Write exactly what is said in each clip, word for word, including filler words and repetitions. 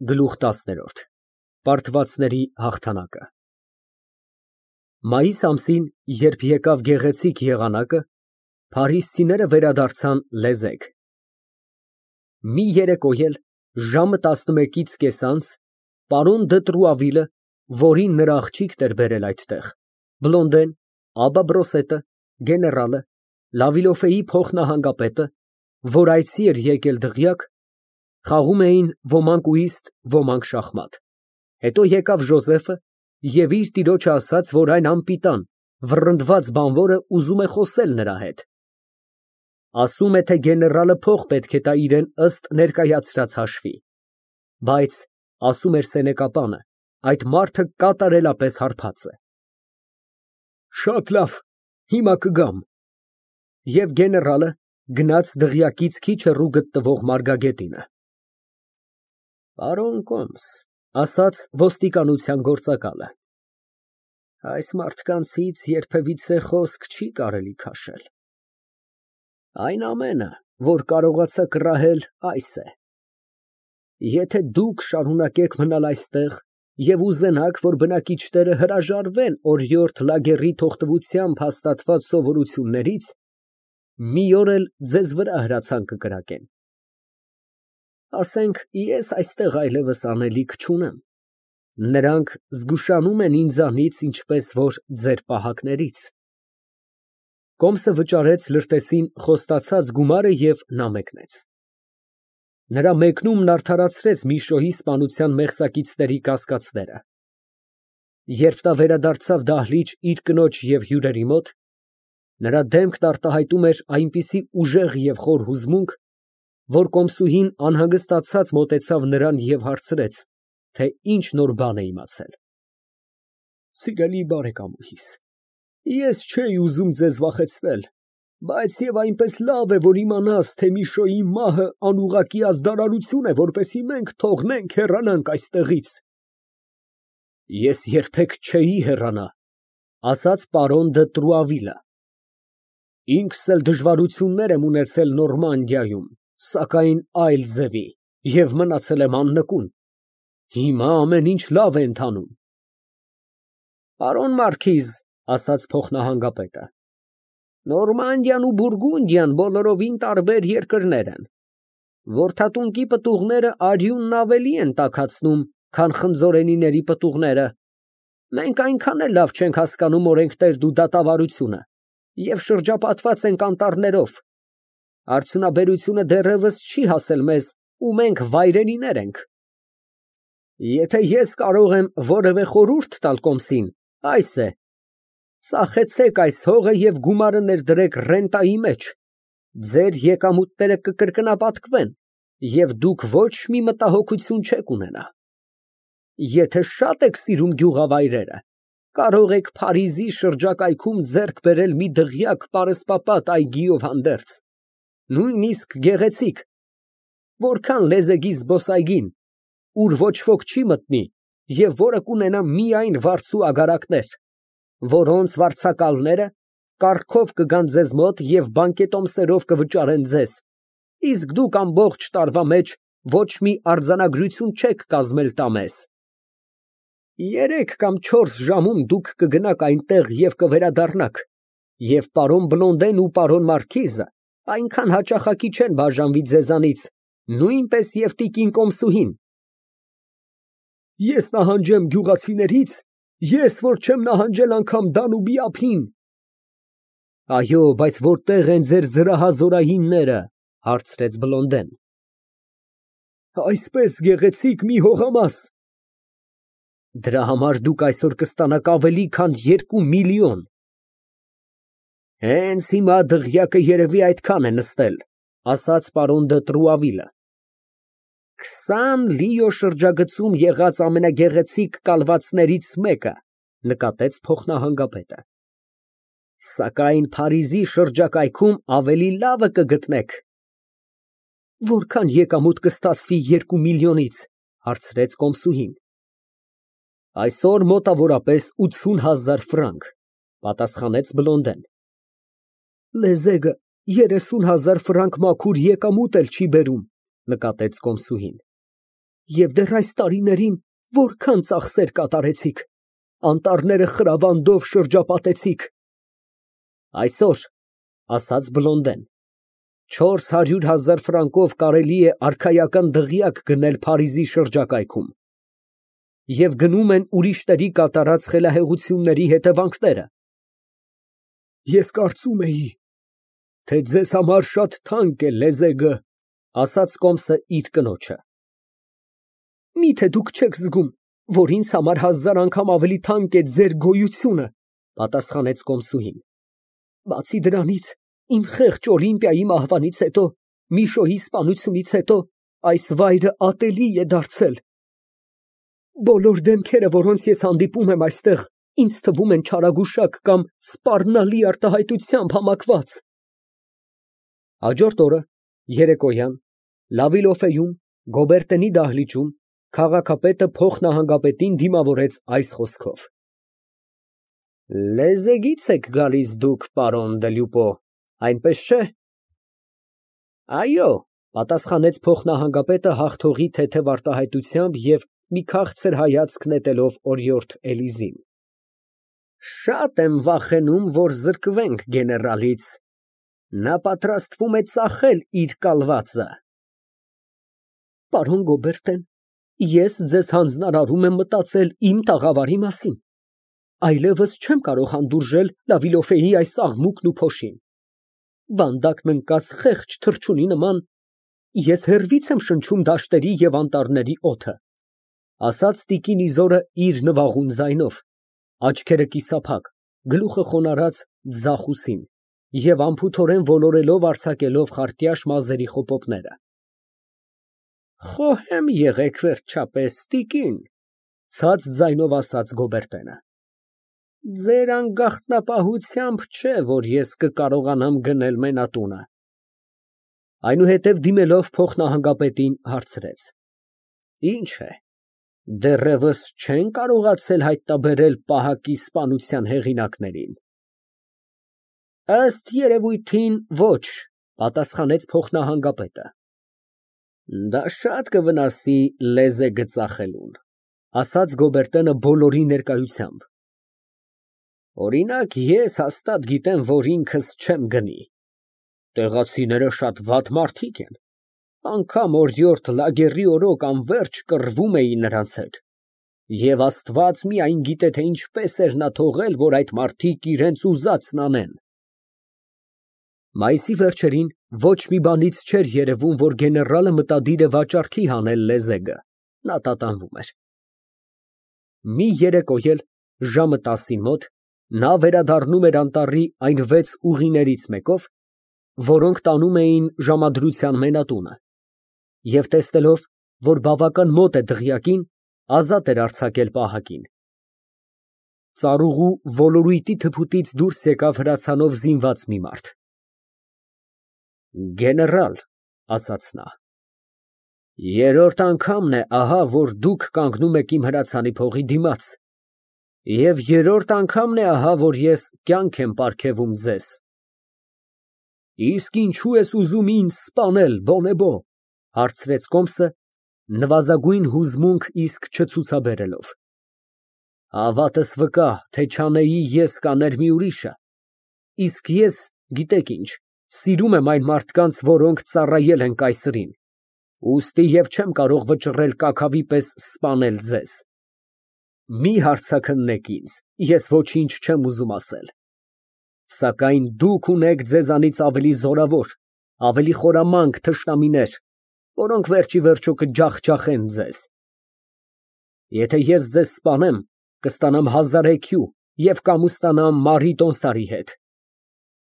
Գլուխ տասներորդ Պարտվածների հաղթանակը Մայիս ամսին, երբ եկավ գեղեցիկ եղանակը, փարիսցիները վերադարձան լեզեկ։ Մի երեկո էլ, ժամը տասնմեկից կեսանց, պարոն դը Տրուավիլը, որին նրա աղջիկն էր բերել այդտեղ, Բլոնդեն, Աբբա Բրոսետը, գեներալը, Լավիլոֆեի փոխնահանգապետը, որ այցի էր եկել դղյակ, խաղում էին ոմանք ուիստ, ոմանք շախմատ, հետո եկավ Ժոզեֆը և իր տիրոջը ասաց, որ այն անպիտան, վռնդված բանվորը ուզում է խոսել նրա հետ, ասում է, թե գեներալը փող պետք է տա իրան ըստ ներկայացրած հաշվի, բայց, ասում էր սենեկապանը, այդ մարդը կատարելապես հարբած է։ Շատ լավ, հիմա կգամ։ Եվ գեներալը գնաց դղյակից քիչ հեռու գտնվող մարգագետինը։ Պարոն կոմս, ասաց ոստիկանության գործակալը, այս մարդկանցից երբևիցե խոսք չի կարելի քաշել։ Այն ամենը, որ կարողացա կռահել, այս է. եթե դուք շարունակեք մնալ այստեղ և ուզենաք, որ բնակիչները հրաժարվեն օրիորդ լագերի թողտվությամբ հաստատված սովորություններից, մի օր էլ ձեզ վրա հրացան կկրակեն։ Ասենք, ես այստեղ այլևս անելիք չունեմ, նրանք զգուշանում են ինձանից, ինչպես որ ձեր պահակներից։ Կոմսը վճարեց լրտեսին խոստացած գումարը և նա մեկնեց։ Նրա մեկնումն արդարացրեց Միշոյի սպանության մեղսակիցների կասկածները։ Երբ նա վերադարձավ դահլիճ իր կնոջ և հյուրերի մոտ, նրա դեմքն արտահայտում էր այնպիսի ուժեղ և խոր հուզմունք, որ կոմսուհին անհանգստացած մոտեցավ նրան և հարցրեց, թե ինչ նոր բան է իմացել։ Սիրելի բարեկամուհիս, ես չէի ուզում ձեզ վախեցնել, բայց և այնպես լավ է, որ իմանաս, թե Միշոյի մահը անուղղակի ազդարարություն է, որպեսզի մենք թողնենք, հեռանանք այստեղից։ Ես երբեք չէի հեռանա, ասաց պարոն դը Տրուավիլը։ Ինքս էլ դժվարություններ եմ ունեցել Նորմանդիայում, սակայն այլ ձևի, և մնացել եմ աննկուն։ Հիմա ամեն ինչ լավ է ընթանում։ Պարոն մարքիզ, ասաց փոխնահանգապետը, Նորմանդիան ու Բուրգունդիան բոլորովին տարբեր երկրներ են։ Որդատունկի պտուղները արյունն ավելի են տաքացնում, քան խնձորենիների պտուղները։ Մենք այնքան էլ լավ չենք հասկանում օրենքներն ու դատավարությունը և շրջապատված ենք անտառներով։ Արդյունաբերությունը դեռևս չի հասել մեզ, ու մենք վայրենիներ ենք։ Եթե ես կարող եմ որևէ խորհուրդ տալ կոմսին, այս է. ծախեցեք այս հողը և գումարը ներդրեք ռենտայի մեջ, ձեր եկամուտները կկրկնապատկվեն, և դուք ոչ մի մտահոգություն չեք ունենա։ Եթե շատ եք սիրում գյուղավայրերը, կարող եք Փարիզի շրջակայքում ձեռք բերել մի դղյակ պարսպապատ այգիով հանդերձ, նույնիսկ գեղեցիկ, որքան լեզեգի զբոսայգին, ուր ոչ ոք չի մտնի և որը կունենա միայն վարձու ագարակներ, որոնց վարձակալները կառքով կգան ձեզ մոտ և բանկետոմսերով կվճարեն ձեզ, իսկ դուք ամբողջ տարվա մեջ ոչ մի արձանագրություն չեք կազմել տամեզ։ Երեք կամ չորս ժամում դուք կգնաք այնտեղ և կվերադառնաք, և պարոն Բլոնդեն ու պարոն մարքիզը այնքան հաճախակի չեն բաժանվի ձեզանից, նույնպես և տիկին կոմսուհին։ Ես նահանջեմ գյուղացիներից, ես, որ չեմ նահանջել անգամ Դանուբի ափին։ Այո, բայց որտե՞ղ են ձեր զրահազորայինները, հարցրեց Բլոնդեն։ Այսպես գեղեցիկ մի հողամաս։ Դրա համար դուք այսօր կստանաք ավելի քան երկու միլիոն։ Հենց հիմա դղյակը երևի այդքան է նստել, ասաց պարոն դը Տրուավիլը։ Քսան լիո շրջագծում եղած ամենագեղեցիկ կալվածներից մեկը, նկատեց փոխնահանգապետը։ Սակայն Փարիզի շրջակայքում ավելի լավը կգտնեք։ Որքան եկամուտ կստացվի երկու միլիոնից, հարցրեց կոմսուհին։ Այսօր մոտավորապես ութսուն հազար ֆրանկ, պատասխանեց Բլոնդեն։ Լեզեգը երեսուն հազար ֆրանկ մաքուր եկամուտ էլ չի բերում, նկատեց կոմսուհին։ Եվ դեռ այս տարիներին որքան ծախսեր կատարեցիք, անտառները խրավանդով շրջապատեցիք։ Այսօր, ասաց Բլոնդեն, չորս հարյուր հազար ֆրանկով կարելի է արքայական դղյակ գնել Փարիզի շրջակայքում, և գնում են ուրիշների կատարած խելահեղությունների հետևանքները։ Ես կարծում էի, թե ձեզ համար շատ թանկ է լեզեգը, ասաց Կոմսը իր կնոջը։ Միթե դուք չեք զգում, որ ինձ համար հազար անգամ ավելի թանկ է ձեր գոյությունը, պատասխանեց կոմսուհին։ Բացի դրանից, իմ խեղճ Օլիմպիայի մահվանից հետո, Միշոյի սպանությունից հետո, այս վայրը ատելի է դարձել։ Բոլոր դեմքերը, որոնց ես հանդիպում եմ այստեղ, ինձ թվում են չարագուշակ կամ սպառնալի արտահայտությամբ համակված։ Հաջորդ օրը, երեկոյան, Լավիլոֆեում, Գոբերտենի դահլիճում, քաղաքապետը փոխնահանգապետին դիմավորեց այս խոսքով. Լեզեգից եք գալիս դուք, պարոն դե Լյուպո, այնպես չէ։ Այո, պատասխանեց փոխնահանգապետը հաղթողի թեթև արտահայտությամբ և մի քաղցր հայացք նետելով օրիորդ Էլիզին։ Շատ եմ վախենում, որ զրկվենք գեներալից։ Նա պատրաստվում է ծախել իր կալվածը։ Պարոն Գոբերտեն, ես ձեզ հանձնարարում եմ մտածել իմ տաղավարի մասին, այլևս չեմ կարող հանդուրժել Լավիլոֆեի այս աղմուկն ու փոշին։ Վանդակն ընկած խեղճ թռչունի նման, ես հեռվից եմ շնչում դաշտերի և անտառների օդը, ասաց տիկին Իզորը իր նվաղուն ձայնով, աչքերը կիսափակ, գլուխը խոնարհած ձախ ուսին և անփութորեն ոլորելով արձակելով խարտյաշ մազերի խոպոպները։ Խոհեմ եղեք վերջապես, տիկին, ցած ձայնով ասաց Գոբերտենը։ Ձեր անգաղտնապահությամբ չէ, որ ես կկարողանամ գնել մենատունը։ Այնուհետև դիմելով փոխնահանգապետին հարցրեց. Ինչ է, դեռևս չեն կարողացել հայտնաբերել պահակի սպանության հեղինակներին։ Ըստ երևույթին, ոչ, պատասխանեց փոխնահանգապետը։ Դա շատ կվնասի լեզեգը ծախելուն, ասաց Գոբերտենը բոլորի ներկայությամբ։ Օրինակ, ես հաստատ գիտեմ, որ ինքս չեմ գնի։ Տեղացիները շատ վատ մարդիկ են, անգամ օրիորդ Լագերի օրոք անվերջ կռվում էին նրանց հետ, և Աստված միայն գիտե, թե ինչպես էր նա թողել, որ այդ մարդիկ իրենց ուզածն անեն։ Մայիսի վերջերին ոչ մի բանից չէր երևում, որ գեներալը մտադիր է վաճառքի հանել լեզեգը, նա տատանվում էր։ Մի երեկո էլ, ժամը տասին մոտ, նա վերադառնում էր անտառի այն վեց ուղիներից մեկով, որոնք տանում էին ժամադրության մենատունը, և տեսնելով, որ բավական մոտ է դղյակին, ազատ էր արձակել պահակին։ Ծառուղու ոլորույթի թփուտից դուրս եկավ հրացանով զինված մի մարդ։ Գեներալ, ասաց նա, երրորդ անգամն է ահա, որ դուք կանգնում եք իմ հրացանի փողի դիմաց, և երրորդ անգամն է ահա, որ ես կյանք եմ պարգևում ձեզ։ Իսկ ինչու ես ուզում ինձ սպանել, Բոնեբո, հարցրեց Կոմսը, նվազագույն հուզմունք իսկ չցուցաբերելով։ Հավատս վկա, թե չանեի ես, կաներ մի ուրիշը, իսկ ես, գիտեք ինչ, սիրում եմ այն մարդկանց, որոնք ծառայել են կայսրին, ուստի և չեմ կարող վճռել կաքավի պես սպանել ձեզ։ Մի հարցաքննեք ինձ, ես ոչինչ չեմ ուզում ասել։ Սակայն դուք ունեք ձեզանից ավելի զորավոր, ավելի խորամանկ թշնամիներ, որոնք վերջիվերջո կջախջախեն ձեզ։ Եթե ես ձեզ սպանեմ, կստանամ հազար էքյու և կամուստանամ Մարի հետ։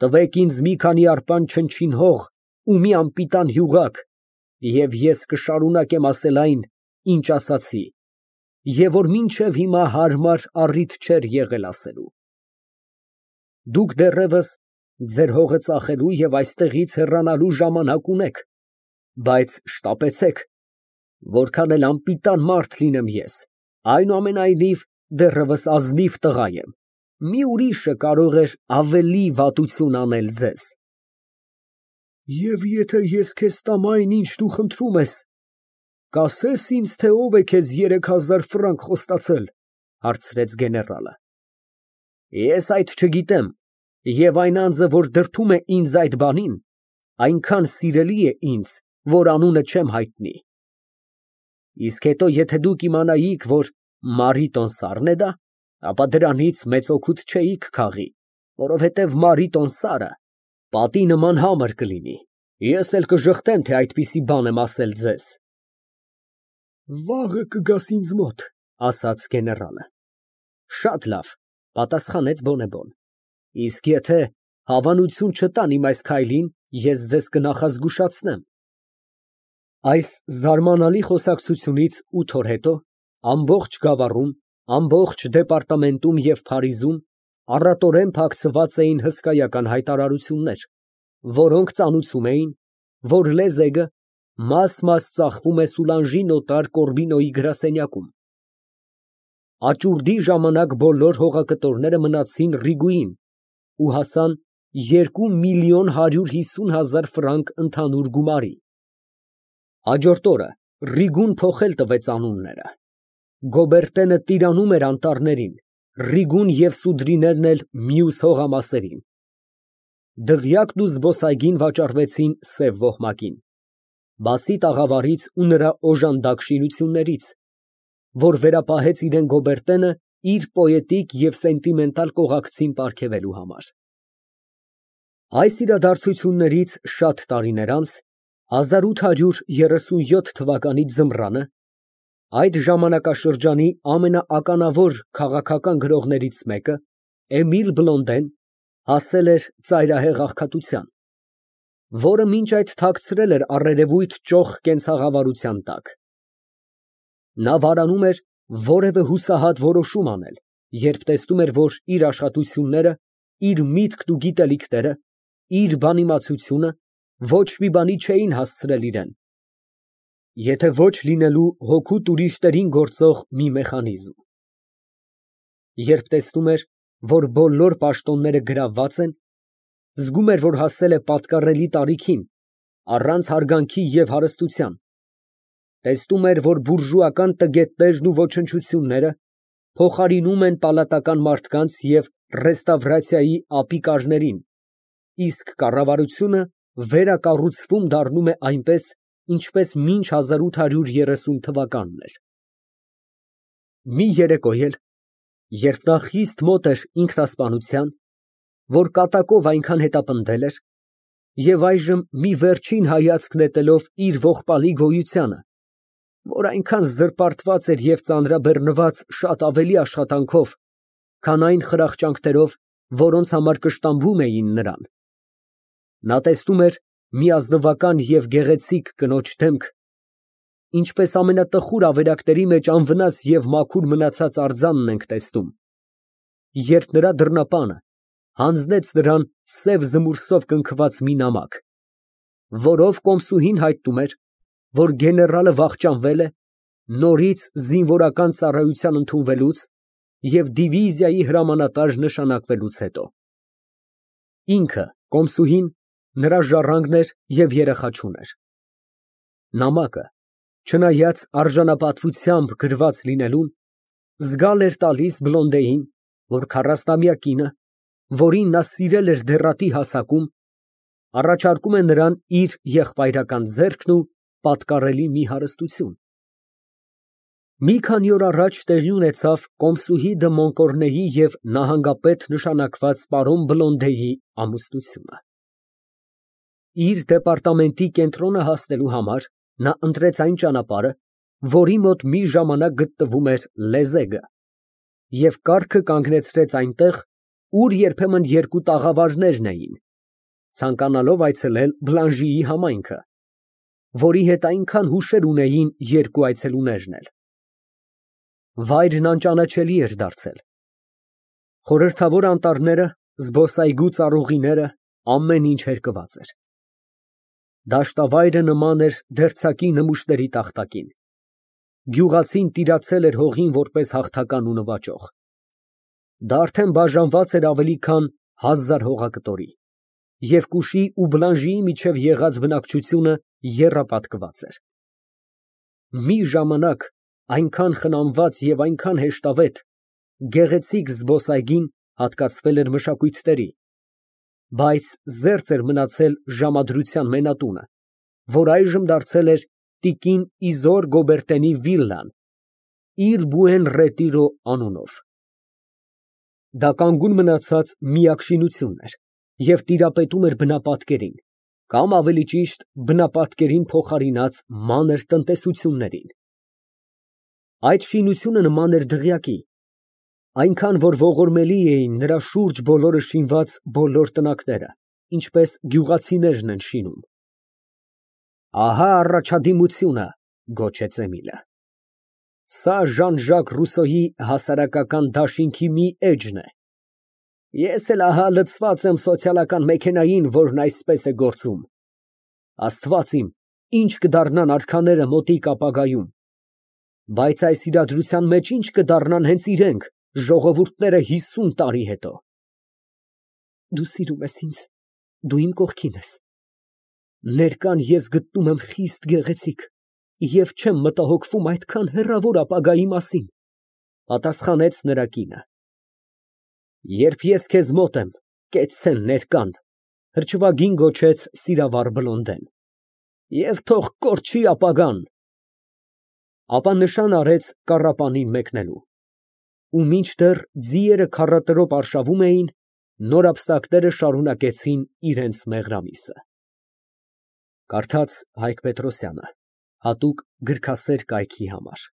Տվեք ինձ մի քանի արպան չնչին հող ու մի անպիտան յուղակ, և ես կշարունակեմ ասել այն, ինչ ասացի, և որ մինչև հիմա հարմար առիթ չէր եղել ասելու։ Դուք դեռևս ձեր հողը ծախելու և այստեղից հեռանալու ժամանակ ունեք, բայց շտապեցեք, որքան էլ անպիտան մարդ լինեմ ես, այնուամենայնիվ դեռևս ազնիվ տղա եմ, մի ուրիշը կարող էր ավելի վատություն անել ձեզ։ Եվ եթե ես քեզ տամ այն, ինչ դու խնդրում ես, Կասես ինձ, թե ով է քեզ երեք հազար ֆրանկ խոստացել, հարցրեց գեներալը։ Ես այդ չգիտեմ, և այն անձը, որ դրդում է ինձ այդ բանին, այնքան սիրելի է ինձ, որ անունը չեմ հայտնի։ Իսկ հետո, եթե դուք իմանայիք, որ Մարի Տոնսարն է դա, ապա դրանից մեծ օգուտ չէիք քաղի, որովհետև Մարի Տոնսարը պատի նման համր կլինի, ես էլ կժխտեմ, թե այդպիսի բան եմ ասել ձեզ։ Վաղը կգաս ինձ մոտ, ասաց գեներալը։ Շատ լավ, պատասխանեց Բոնեբոն, իսկ եթե հավանություն չտան իմ այս քայլին, ես ձեզ կնախազգուշացնեմ։ Այս զարմանալի խոսակցությունից ութ օր հետո ամբողջ գավառում, ամբողջ դեպարտամենտում և Փարիզում առատորեն փակցված էին հսկայական հայտարարություններ, որոնք ծանուցում էին, որ Լեզեգը մաս֊մաս ծախվում է Սուլանժի նոտար Կորբինոյի գրասենյակում։ Աճուրդի ժամանակ բոլոր հողակտորները մնացին Ռիգուին ու հասան երկու միլիոն հարյուր հիսուն հազար ֆրանկ ընդհանուր գումարի։ Հաջորդ օրը Ռիգուն փոխել տվեց անունները։ Գոբերտենը տիրանում էր անտառներին, Ռիգուն և Սուդրիներն էլ մյուս հողամասերին։ Դղյակն ու զբոսայգին վաճառվեցին սև ոհմակին, բացի տաղավարից ու նրա օժանդակ շինություններից, որ վերապահեց իրեն Գոբերտենը իր պոետիկ և սենտիմենտալ կողակցին պարգևելու համար։ Այս իրադարձություններից շատ տարիներ անց, հազար ութ հարյուր երեսունյոթ թվականի ձմռանը, այդ ժամանակաշրջանի ամենաականավոր քաղաքական գրողներից մեկը, Էմիլ Բլոնդեն, հասել էր ծայրահեղ աղքատության, որը մինչ այդ թաքցրել էր առերևույթ ճոխ կենցաղավարության տակ։ Նա վարանում էր որևէ հուսահատ որոշում անել, երբ տեսնում էր, որ իր աշխատությունները, իր միտքն ու գիտելիքները, իր բանիմացությունը ոչ մի բանի չէին հասցրել իրան, եթե ոչ լինելու հօգուտ ուրիշներին գործող մի մեխանիզմ։ Երբ տեսնում էր, որ բոլոր պաշտոնները գրավված են, զգում էր, որ հասել է պատկառելի տարիքին, առանց հարգանքի և հարստության, տեսնում էր, որ բուրժուական տգետներն ու ոչնչությունները փոխարինում են պալատական մարդկանց և ռեստավրացիայի ապիկարներին, իսկ կառավարությունը վերակառուցվում դառնում է այնպես, ինչպես մինչ հազար ութ հարյուր երեսուն թվականն էր։ Մի երեկո էլ, երբ նա խիստ մոտ էր ինքնասպանության, որ կատակով այնքան հետապնդել էր, և այժմ մի վերջին հայացք նետելով իր ողբալի գոյությանը, որ այնքան զրպարտված էր և ծանրաբեռնված շատ ավելի աշխատանքով, քան այն խրախճանքներով, որոնց համար կշտամբում էին նրան, նա տեսնում էր մի ազնվական և գեղեցիկ կնոջ դեմք, ինչպես ամենատխուր ավերակների մեջ անվնաս և մաքուր մնացած արձանն ենք տեսնում, երբ նրա դռնապանը հանձնեց նրան սև զմուրսով կնքված մի նամակ, որով կոմսուհին հայտնում էր, որ գեներալը վախճանվել է նորից զինվորական ծառայության ընդունվելուց և դիվիզիայի հրամանատար նշանակվելուց հետո։ Ինքը, կոմսուհին, նրա ժառանգն էր և երեխա չուներ։ Նամակը, չնայած արժանապատվությամբ գրված լինելուն, զգալ էր տալիս Բլոնդեին, որ քառասնամյա կինը, որին նա սիրել էր դեռատի հասակում, առաջարկում է նրան իր եղբայրական ձեռքն ու պատկառելի մի հարստություն։ Մի քանի օր առաջ տեղի ունեցավ կոմսուհի դը Մոնկորնեի և նահանգապետ նշանակված պարոն Բլոնդեի ամուսնությունը։ Իր դեպարտամենտի կենտրոնը հասնելու համար նա ընտրեց այն ճանապարհը, որի մոտ մի ժամանակ գտնվում էր Լեզեգը, և կառքը կանգնեցրեց այնտեղ, ուր երբեմն երկու տաղավարներն էին, ցանկանալով այցելել Բլանժիի համայնքը, որի հետ այնքան հուշեր ունեին երկու այցելուներն էլ։ Վայրն անճանաչելի էր դարձել։ Խորհրդավոր անտառները, զբոսայգու ծառուղիները, ամեն ինչ հերկված էր։ Դաշտավայրը նման էր դերձակի նմուշների տախտակին։ Գյուղացին տիրացել էր հողին որպես հաղթական ու նվաճող։ Դա արդեն բաժանված էր ավելի քան հազար հողակտորի, և Կուշի ու Բլանժիի միջև եղած բնակչությունը եռապատկված էր։ մի ժամանակ այնքան խնամված և այնքան հեշտավետ, գեղեցիկ զբոսայգին հատկացվել էր մշակույթների, բայց զերծ էր մնացել ժամադրության մենատունը, որ այժմ դարձել էր տիկին Իզոր Գոբերտենի վիլլան իր Բուեն Ռետիրո անունով։ Դա կանգուն մնացած միակ շինությունն էր և տիրապետում էր բնապատկերին, կամ ավելի ճիշտ բնապատկերին փոխարինած մանր տնտեսություններին։ Այդ շինությունը նման էր դղյակի, այնքան, որ ողորմելի էին նրա շուրջ բոլորը շինված բոլոր տնակները, ինչպես գյուղացիներն են շինում։ Ահա առաջադիմությունը, գոչեց Էմիլը։ Սա Ժան֊Ժակ Ռուսոյի հասարակական դաշինքի մի էջն է։ Ես էլ ահա լցված եմ սոցիալական մեքենային, որն այսպես է գործում։ Աստված իմ, ինչ կդառնան արքաները մոտիկ ապագայում, բայց այս իրադրության մեջ ինչ կդառնան հենց իրենք, ժողովուրդները հիսուն տարի հետո։ Դու սիրում ես ինձ, դու իմ կողքին ես։ Ներկան ես գտնում եմ խիստ գեղեցիկ և չեմ մտահոգվում այդքան հեռավոր ապագայի մասին, պատասխանեց նրա կինը։ Երբ ես քեզ մոտ եմ, կեցցեն ներկան, հրճվագին գոչեց սիրավար Բլոնդեն, և թող կորչի ապագան։ Ապա նշան արեց կառապանին մեկնելու, ու մինչդեռ ձիերը քառատրոպ արշավում էին, նորապսակները շարունակեցին իրենց մեղրամիսը։ Կարդաց Հայկ Պետրոսյանը, հատուկ գրքասեր կայքի համար։